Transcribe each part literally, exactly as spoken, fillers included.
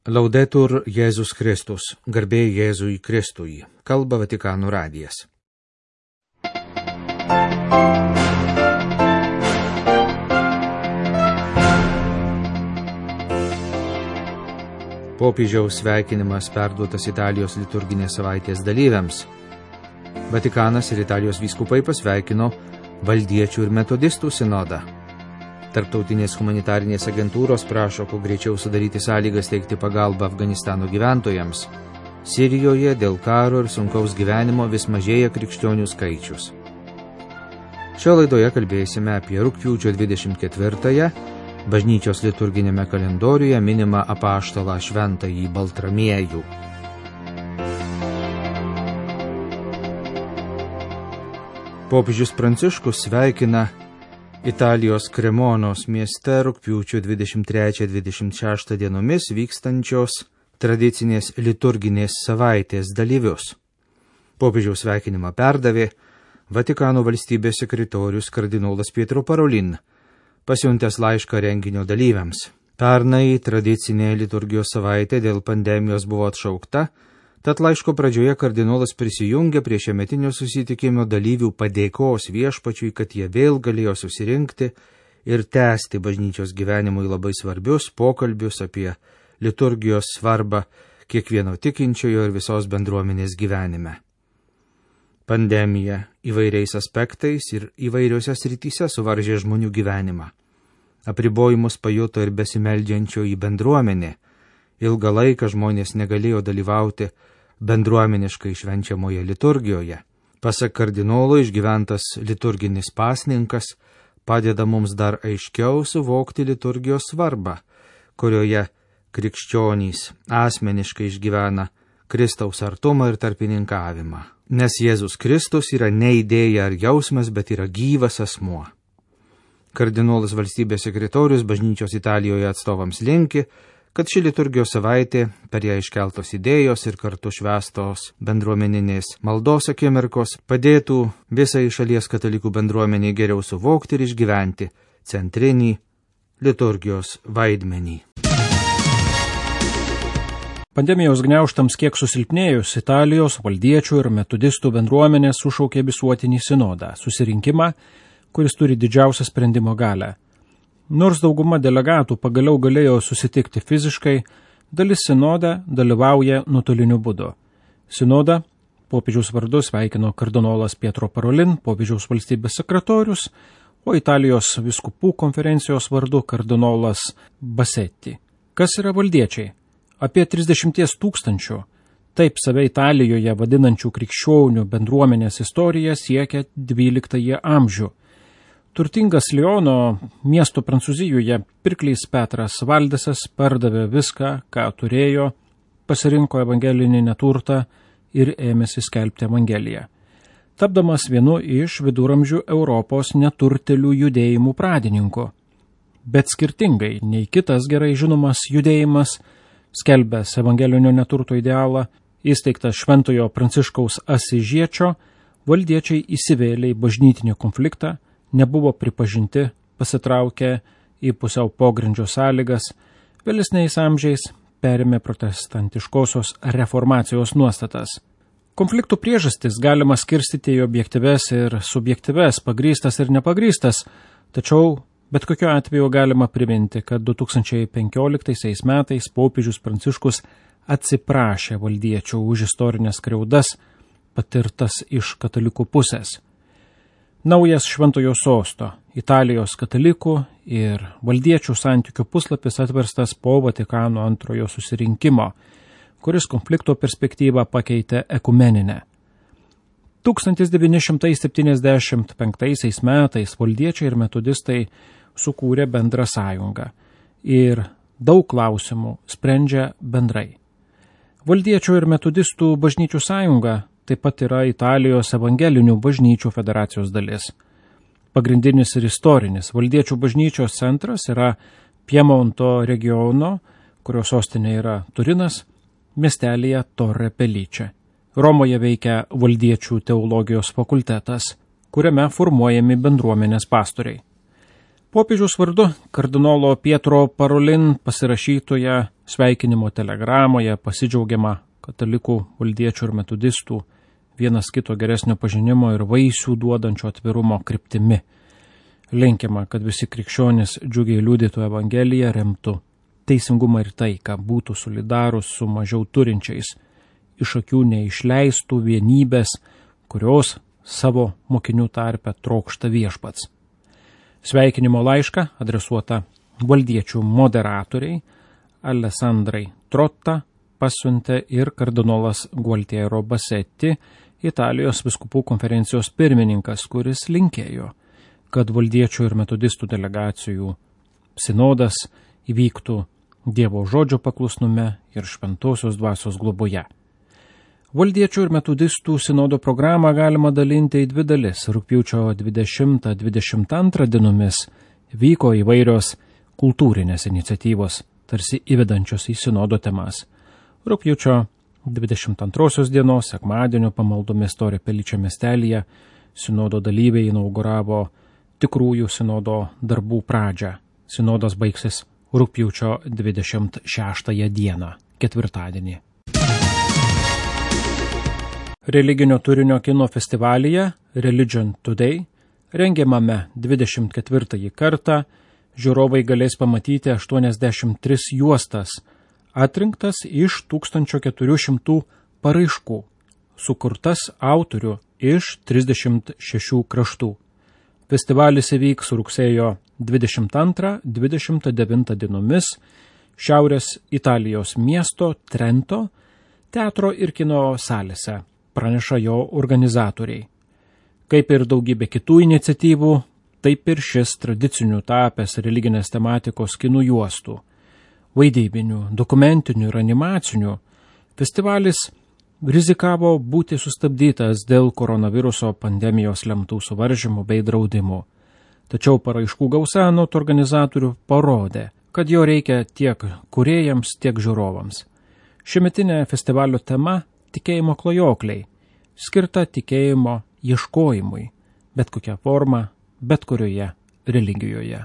Laudetur Jėzus Kristus, garbė Jėzui Kristui, kalba Vatikano radijas. Popiežiaus sveikinimas perduotas Italijos liturginės savaitės dalyviams. Vatikanas ir Italijos vyskupai pasveikino valdiečių ir metodistų sinodą. Tarptautinės humanitarinės agentūros prašo kuo greičiau sudaryti sąlygas teikti pagalbą Afganistano gyventojams. Sirijoje dėl karo ir sunkaus gyvenimo vis mažėja krikščionių skaičius. Šio laidoje kalbėsime apie rugpjūčio dvidešimt ketvirtąją, bažnyčios liturginėme kalendoriuje minimą apaštalą šventąjį Baltramiejų. Popiežius Pranciškus sveikina Italijos Kremonos mieste rugpjūčio dvidešimt trečią dvidešimt šeštą dienomis vykstančios tradicinės liturginės savaitės dalyvius. Popiežiaus sveikinimą perdavė Vatikano valstybės sekretorius kardinolas Pietro Parolin, pasiuntęs laišką renginio dalyviams. Pernai tradicinė liturgijos savaitė dėl pandemijos buvo atšaukta, tad laiško pradžioje kardinolas prisijungė prie šiemetinio susitikimo dalyvių padėkos viešpačiui, kad jie vėl galėjo susirinkti ir tęsti bažnyčios gyvenimui labai svarbius pokalbius apie liturgijos svarbą kiekvieno tikinčiojo ir visos bendruomenės gyvenime. Pandemija įvairiais aspektais ir įvairiose srityse suvaržė žmonių gyvenimą. Apribojimus pajuto ir besimeldžiančioji bendruomenė. Ilgą laiką žmonės negalėjo dalyvauti bendruomeniškai švenčiamoje liturgijoje. Pasak kardinolo, išgyventas liturginis pasninkas padeda mums dar aiškiau suvokti liturgijos svarbą, kurioje krikščionys asmeniškai išgyvena Kristaus artumą ir tarpininkavimą. Nes Jėzus Kristus yra ne idėja ar jausmas, bet yra gyvas asmuo. Kardinolas valstybės sekretorius bažnyčios Italijoje atstovams linki, kad ši liturgijos savaitė, per ją iškeltos idėjos ir kartu švęstos bendruomeninės maldos akimirkos padėtų visai šalies katalikų bendruomeniai geriau suvokti ir išgyventi centrinį liturgijos vaidmenį. Pandemijos gniaužtams kiek susilpnėjus, Italijos valdiečių ir metodistų bendruomenė sušaukė visuotinį sinodą, susirinkimą, kuris turi didžiausią sprendimo galią. Nors dauguma delegatų pagaliau galėjo susitikti fiziškai, dalis sinodą dalyvauja nuotoliniu būdu. Sinodą popiežiaus vardu sveikino kardinolas Pietro Parolin, popiežiaus valstybės sekretorius, o Italijos vyskupų konferencijos vardu kardinolas Bassetti. Kas yra valdiečiai? Apie trisdešimt tūkstančių, taip save Italijoje vadinančių krikščionių bendruomenės istorija siekia dvyliktąjį amžių. Turtingas Liono miesto Prancūzijoje pirklys Petras Valdesas pardavė viską, ką turėjo, pasirinko evangelinį neturtą ir ėmėsi skelbti evangeliją, tapdamas vienu iš viduramžių Europos neturtėlių judėjimų pradininkų. Bet skirtingai nei kitas gerai žinomas judėjimas, skelbęs evangelinio neturto idealą, įsteigtas Šventojo Pranciškaus Asižiečio, valdiečiai įsivėlė į bažnytinį konfliktą, nebuvo pripažinti, pasitraukė į pusiau pogrindžio sąlygas, vėlesniais amžiais perėmė protestantiškosios reformacijos nuostatas. Konfliktų priežastis galima skirstyti į objektyves ir subjektyves, pagrįstas ir nepagrįstas, tačiau bet kokiu atveju galima priminti, kad du tūkstančiai penkioliktaisiais metais popiežius Pranciškus atsiprašė valdiečių už istorinės skriaudas patirtas iš katalikų pusės. Naujas Šventojo sosto, Italijos katalikų ir valdiečių santykių puslapis atverstas po Vatikano antrojo susirinkimo, kuris konflikto perspektyvą pakeitė ekumeninę. tūkstantis devyni šimtai septyniasdešimt penktaisiais metais valdiečiai ir metodistai sukūrė bendrą sąjungą ir daug klausimų sprendžia bendrai. Valdiečių ir metodistų bažnyčių sąjunga taip pat yra Italijos evangelinių bažnyčių federacijos dalis. Pagrindinis ir istorinis valdiečių bažnyčios centras yra Piemonto regiono, kurio sostinė yra Turinas, miestelyje Torre Pellice. Romoje veikia valdiečių teologijos fakultetas, kuriame formuojami bendruomenės pastoriai. Popiežiaus vardu kardinolo Pietro Parolin pasirašytoje Sveikinimo telegramoje pasidžiaugiama katalikų, valdiečių ir metodistų vienas kito geresnio pažinimo ir vaisių duodančio atvirumo kryptimi. Linkima, kad visi krikščionys džiugiai liudytų Evangeliją, remtų teisingumą ir taiką, būtų solidarūs su mažiau turinčiais, iš akių neišleistų vienybės, kurios savo mokinių tarpe trokšta viešpats. Sveikinimo laišką adresuota valdiečių moderatoriai Alessandrai Trotta pasiuntė ir kardinolas Gualtiero Bassetti, Italijos vyskupų konferencijos pirmininkas, kuris linkėjo, kad valdiečių ir metodistų delegacijų sinodas įvyktų Dievo žodžio paklusnume ir šventosios dvasios globoje. Valdiečių ir metodistų sinodo programą galima dalinti į dvi dalis. Rugpjūčio dvidešimtą dvidešimt antrą dienomis vyko įvairios kultūrinės iniciatyvos, tarsi įvedančios į sinodo temas. Rugpjūčio dvidešimt antrosios dienos, sekmadienio pamaldomis Torre Pellice miestelyje, sinodo dalyviai inauguravo tikrųjų sinodo darbų pradžią. Sinodas baigsis rugpjūčio dvidešimt šeštąją dieną, ketvirtadienį. Religinio turinio kino festivalyje Religion Today, rengiamame dvidešimt ketvirtąjį kartą, žiūrovai galės pamatyti aštuoniasdešimt tris juostas, atrinktas iš tūkstančio keturių šimtų paraiškų, sukurtas autorių iš trisdešimt šešių kraštų. Festivalis įvyks rugsėjo dvidešimt antrą dvidešimt devintą dienomis Šiaurės Italijos miesto Trento teatro ir kino salėse, praneša jo organizatoriai. Kaip ir daugybė kitų iniciatyvų, taip ir šis tradicinių tapęs religinės tematikos kinų juostų, vaidybinių, dokumentinių ir animacinių, festivalis rizikavo būti sustabdytas dėl koronaviruso pandemijos lemtų suvaržymų bei draudimų. Tačiau paraiškų gausa anot organizatorių parodė, kad jo reikia tiek kūrėjams, tiek žiūrovams. Šiemetinė festivalio tema – tikėjimo klajokliai, skirta tikėjimo ieškojimui, bet kokia forma, bet kurioje religijoje.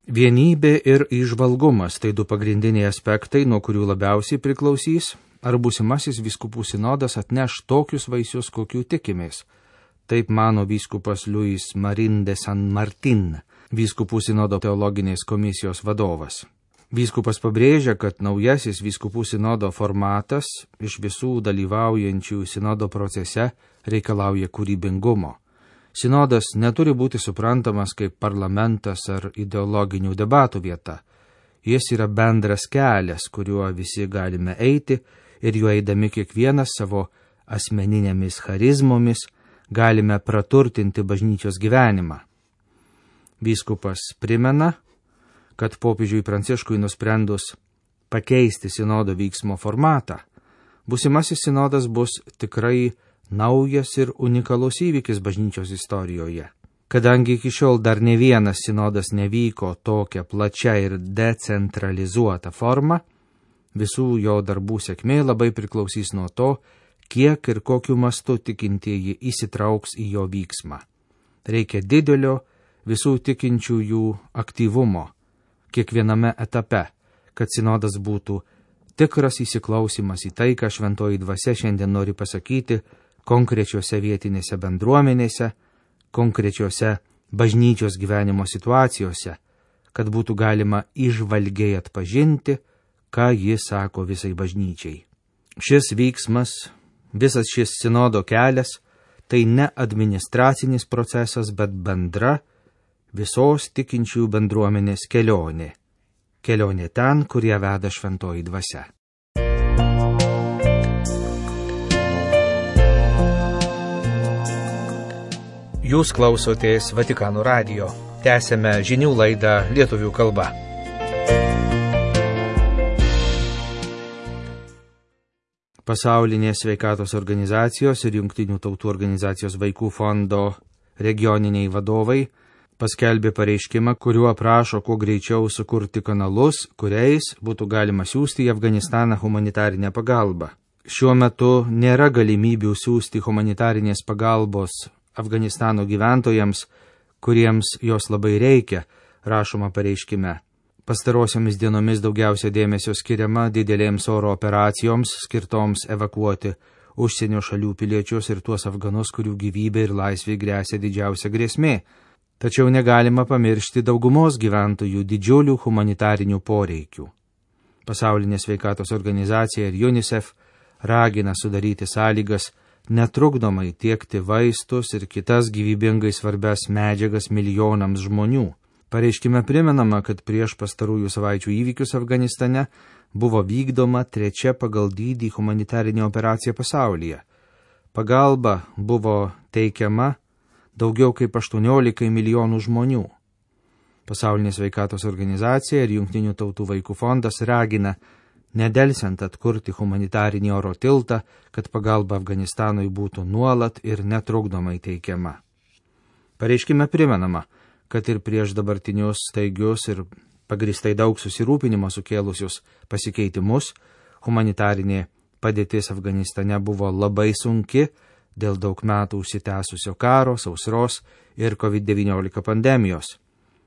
Vienybė ir įžvalgumas – tai du pagrindiniai aspektai, nuo kurių labiausiai priklausys, ar būsimasis vyskupų sinodas atneš tokius vaisius, kokių tikimės. Taip mano vyskupas Luis Marin de San Martin, vyskupų sinodo teologinės komisijos vadovas. Vyskupas pabrėžia, kad naujasis vyskupų sinodo formatas iš visų dalyvaujančių sinodo procese reikalauja kūrybingumo. Sinodas neturi būti suprantamas kaip parlamentas ar ideologinių debatų vieta. Jis yra bendras kelias, kuriuo visi galime eiti ir juo eidami kiekvienas savo asmeninėmis charizmomis galime praturtinti bažnyčios gyvenimą. Vyskupas primena, kad popiežiui Pranciškui nusprendus pakeisti sinodo vyksmo formatą, būsimasis sinodas bus tikrai naujas ir unikalus įvykis bažnyčios istorijoje. Kadangi iki šiol dar ne vienas sinodas nevyko tokia plačia ir decentralizuota forma, visų jo darbų sėkmė labai priklausys nuo to, kiek ir kokiu mastu tikintieji įsitrauks į jo vyksmą. Reikia didelio visų tikinčiųjų aktyvumo kiekviename etape, kad sinodas būtų tikras įsiklausimas į tai, ką šventoji dvasia šiandien nori pasakyti konkrečiose vietinėse bendruomenėse, konkrečiose bažnyčios gyvenimo situacijose, kad būtų galima įžvalgiai atpažinti, ką jis sako visai bažnyčiai. Šis vyksmas, visas šis sinodo kelias, tai ne administracinis procesas, bet bendra visos tikinčiųjų bendruomenės kelionė. Kelionė ten, kur ją veda šventoji dvasia. Jūs klausotės Vatikano radijo. Tęsėme žinių laidą lietuvių kalba. Pasaulinės sveikatos organizacijos ir Jungtinių tautų organizacijos vaikų fondo regioniniai vadovai paskelbė pareiškimą, kuriuo prašo kuo greičiau sukurti kanalus, kuriais būtų galima siųsti į Afganistaną humanitarinę pagalbą. Šiuo metu nėra galimybių siųsti humanitarinės pagalbos Afganistano gyventojams, kuriems jos labai reikia, rašoma pareiškime. Pastarosiomis dienomis daugiausia dėmesio skiriama didelėms oro operacijoms, skirtoms evakuoti užsienio šalių piliečius ir tuos afganus, kurių gyvybė ir laisvė grėsia didžiausia grėsmė. Tačiau negalima pamiršti daugumos gyventojų didžiulių humanitarinių poreikių. Pasaulinė sveikatos organizacija ir UNICEF ragina sudaryti sąlygas netrukdomai tiekti vaistus ir kitas gyvybingai svarbias medžiagas milijonams žmonių. Pareiškime primenama, kad prieš pastarųjų savaičių įvykius Afganistane buvo vykdoma trečia pagal dydį humanitarinė operacija pasaulyje. Pagalba buvo teikiama daugiau kaip aštuoniolikai milijonų žmonių. Pasaulinė sveikatos organizacija ir Jungtinių tautų vaikų fondas ragina nedelsiant atkurti humanitarinį oro tiltą, kad pagalba Afganistanui būtų nuolat ir netrukdomai teikiama. Pareiškime primenama, kad ir prieš dabartinius staigius ir pagristai daug susirūpinimo sukėlusius pasikeitimus, humanitarinė padėtis Afganistane buvo labai sunki dėl daug metų užsitęsusio karo, sausros ir COVID devyniolika pandemijos.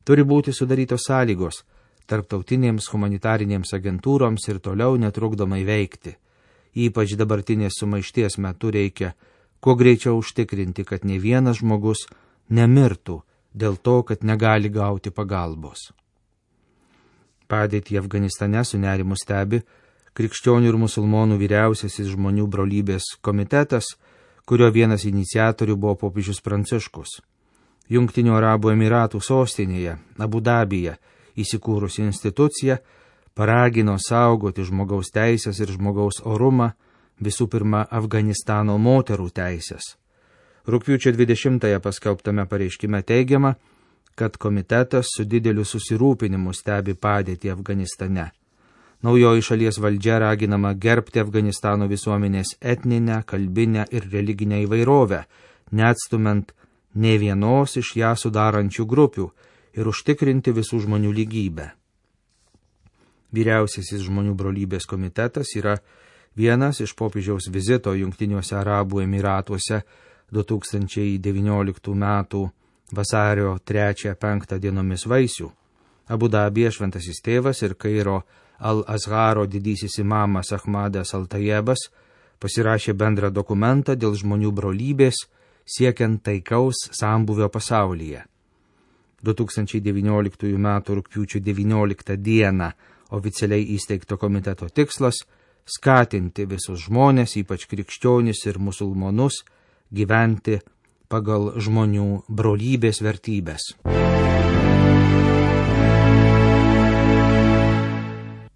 Turi būti sudarytos sąlygos tarptautinėms humanitarinėms agentūroms ir toliau netrukdomai veikti. Ypač dabartinės sumaišties metu reikia kuo greičiau užtikrinti, kad ne vienas žmogus nemirtų dėl to, kad negali gauti pagalbos. Padėtį Afganistane su nerimu stebi Krikščionių ir musulmonų vyriausiasis žmonių brolybės komitetas, kurio vienas iniciatorių buvo popiežius Pranciškus. Jungtinių Arabų Emiratų sostinėje, Abu Dabyje, įsikūrusi institucija paragino saugoti žmogaus teisės ir žmogaus orumą, visų pirma Afganistano moterų teisės. Rugpjūčio dvidešimtąją paskelbtame pareiškime teigiama, kad komitetas su dideliu susirūpinimu stebi padėtį Afganistane. Naujoji šalies valdžia raginama gerbti Afganistano visuomenės etninę, kalbinę ir religinę įvairovę, neatstumant ne vienos iš ją sudarančių grupių ir užtikrinti visų žmonių lygybę. Vyriausiasis žmonių brolybės komitetas yra vienas iš popiežiaus vizito Jungtiniuose Arabų Emiratuose du tūkstančiai devynioliktų metų vasario trečią penktą dienomis vaisių. Abu Dabyje šventasis tėvas ir Kairo Al-Azharo didysis imamas Ahmadas Al-Tajebas pasirašė bendrą dokumentą dėl žmonių brolybės siekiant taikaus sambūvio pasaulyje. du tūkstančiai devynioliktųjų metų rugpjūčio devynioliktą dieną oficialiai įsteigto komiteto tikslas – skatinti visus žmonės, ypač krikščionis ir musulmonus, gyventi pagal žmonių brolybės vertybės.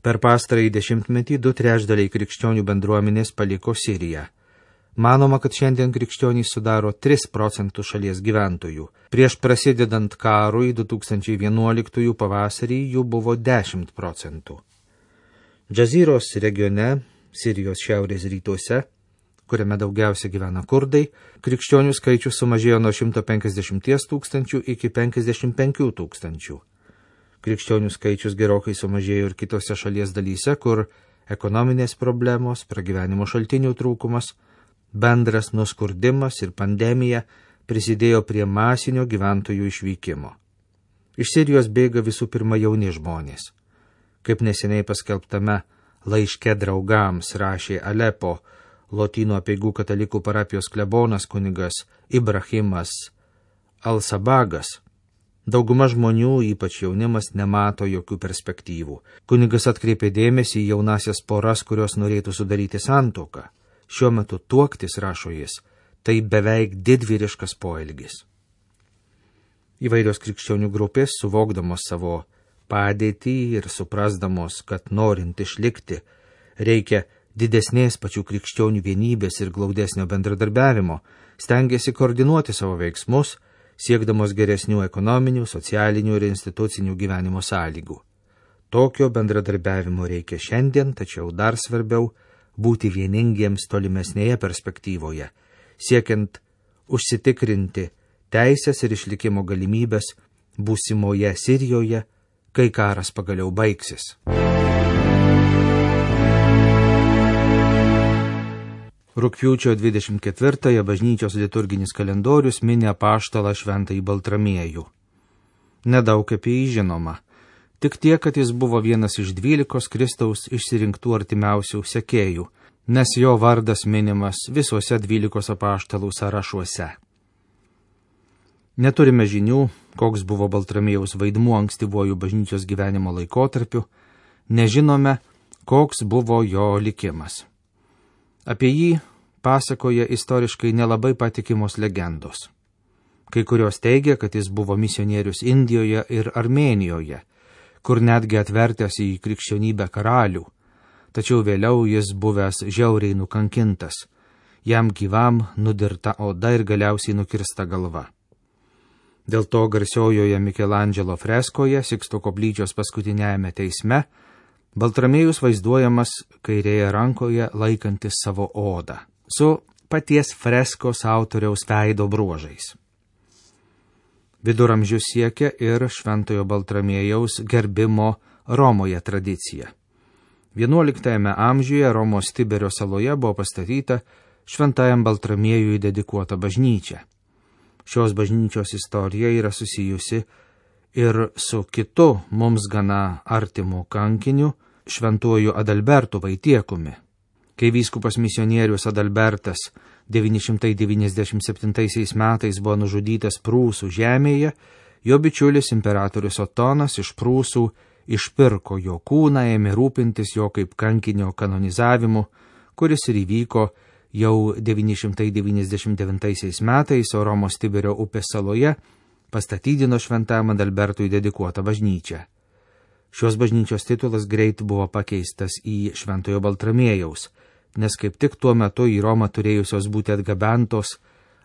Per pastarąjį dešimtmetį du trečdaliai krikščionių bendruomenės paliko Siriją. Manoma, kad šiandien krikščionys sudaro tris procentus šalies gyventojų. Prieš prasidedant karui du tūkstančiai vienuoliktųjų pavasarį jų buvo dešimt procentų. Džaziros regione, Sirijos šiaurės rytuose, kuriame daugiausia gyvena kurdai, krikščionių skaičius sumažėjo nuo šimto penkiasdešimties tūkstančių iki penkiasdešimt penkių tūkstančių. Krikščionių skaičius gerokai sumažėjo ir kitose šalies dalyse, kur ekonominės problemos, pragyvenimo šaltinių trūkumas, bendras nuskurdimas ir pandemija prisidėjo prie masinio gyventojų išvykimo. Iš Sirijos bėga visų pirma jauni žmonės. Kaip neseniai paskelbtame laiške draugams rašė Alepo Lotynų apeigų katalikų parapijos klebonas kunigas Ibrahimas Al-Sabagas, dauguma žmonių, ypač jaunimas, nemato jokių perspektyvų. Kunigas atkreipė dėmesį į jaunasias poras, kurios norėtų sudaryti santuoką. Šiuo metu tuoktis, rašo jis, tai beveik didvyriškas poelgis. Įvairios krikščionių grupės, suvokdamos savo padėtį ir suprasdamos, kad norint išlikti, reikia didesnės pačių krikščionių vienybės ir glaudesnio bendradarbiavimo, stengiasi koordinuoti savo veiksmus, siekdamos geresnių ekonominių, socialinių ir institucinių gyvenimo sąlygų. Tokio bendradarbiavimo reikia šiandien, tačiau dar svarbiau būti vieningiems tolimesnėje perspektyvoje, siekiant užsitikrinti teisės ir išlikimo galimybės būsimoje Sirijoje, kai karas pagaliau baigsis. Rugpjūčio dvidešimt ketvirtąją bažnyčios liturginis kalendorius mini apaštalą šventąjį Baltramiejų. Nedaug apie jį žinoma. Tik tiek, kad jis buvo vienas iš dvylikos Kristaus išsirinktų artimiausių sekėjų, nes jo vardas minimas visuose dvylikos apaštalų sąrašuose. Neturime žinių, koks buvo Baltramiejaus vaidmuo ankstyvuoju bažnyčios gyvenimo laikotarpiu, nežinome, koks buvo jo likimas. Apie jį pasakoja istoriškai nelabai patikimos legendos. Kai kurios teigia, kad jis buvo misionierius Indijoje ir Armėnijoje, kur netgi atvertęs į krikščionybę karalių, tačiau vėliau jis buvęs žiauriai nukankintas, jam gyvam nudirta oda ir galiausiai nukirsta galva. Dėl to garsiojoje Mikelandželo freskoje Siksto koplyčios paskutiniajame teisme Baltramiejus vaizduojamas kairėje rankoje laikantis savo odą, su paties freskos autoriaus veido bruožais. Viduramžius siekia ir šventojo Baltramiejaus gerbimo Romoje tradicija. vienuoliktajame amžiuje Romos Tiberio saloje buvo pastatyta šventajam Baltramiejui dedikuota bažnyčia. Šios bažnyčios istorija yra susijusi ir su kitu mums gana artimu kankiniu šventuoju Adalbertu Vaitiekumi. Kai vyskupas misionierius Adalbertas devyni šimtai devyniasdešimt septintaisiais metais buvo nužudytas Prūsų žemėje, jo bičiulis imperatorius Otonas iš Prūsų išpirko jo kūną, ėmė rūpintis jo kaip kankinio kanonizavimu, kuris ir įvyko jau devyni šimtai devyniasdešimt devintaisiais metais, o Romos Tiberio upės saloje pastatydino šventajam Adalbertui dedikuotą bažnyčią. Šios bažnyčios titulas greit buvo pakeistas į šventojo Baltramiejaus, nes kaip tik tuo metu į Romą turėjusios būti atgabentos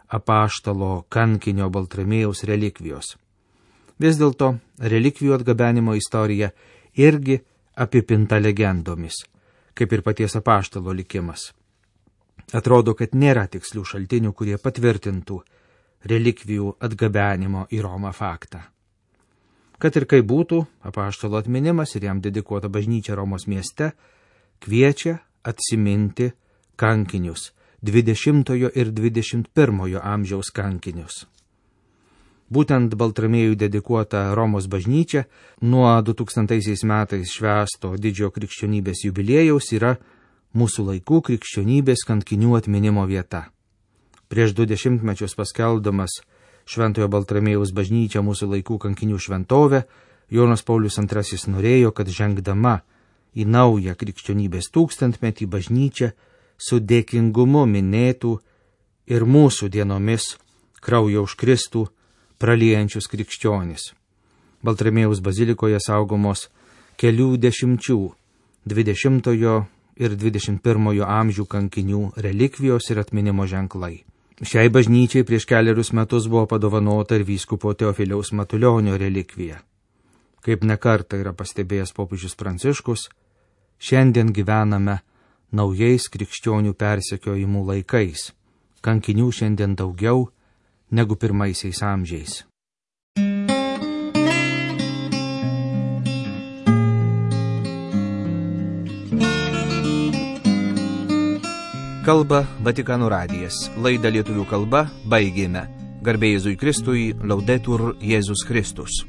apaštalo kankinio Baltramiejaus relikvijos. Vis dėlto relikvijų atgabenimo istorija irgi apipinta legendomis, kaip ir paties apaštalo likimas. Atrodo, kad nėra tikslių šaltinių, kurie patvirtintų relikvijų atgabenimo į Romą faktą. Kad ir kaip būtų, apaštalo atminimas ir jam dedikuota bažnyčia Romos mieste kviečia atsiminti kankinius, dvidešimtojo ir dvidešimt pirmojo amžiaus kankinius. Būtent Baltramiejui dedikuota Romos bažnyčia nuo du tūkstantaisiais metais švęsto didžiojo krikščionybės jubiliejaus yra mūsų laikų krikščionybės kankinių atminimo vieta. Prieš du dešimtmečius paskelbdamas šventojo Baltramiejaus bažnyčią mūsų laikų kankinių šventovę, Jonas Paulius antrasis norėjo, kad žengdama į naują krikščionybės tūkstantmetį bažnyčią su dėkingumu minėtų ir mūsų dienomis kraują už Kristų praliejančius krikščionis. Baltramiejaus bazilikoje saugomos kelių dešimčių dvidešimtojo ir dvidešimt pirmojo amžių kankinių relikvijos ir atminimo ženklai. Šiai bažnyčiai prieš keliarius metus buvo padovanota ir vyskupo Teofiliaus Matulionio relikvija. Kaip nekartą yra pastebėjęs popiežius Pranciškus, šiandien gyvename naujais krikščionių persekiojimų laikais. Kankinių šiandien daugiau negu pirmaisiais amžiais. Kalba Vatikano radijas. Laidą lietuvių kalba baigėme. Garbė Jėzui Kristui, Laudetur Jėzus Kristus.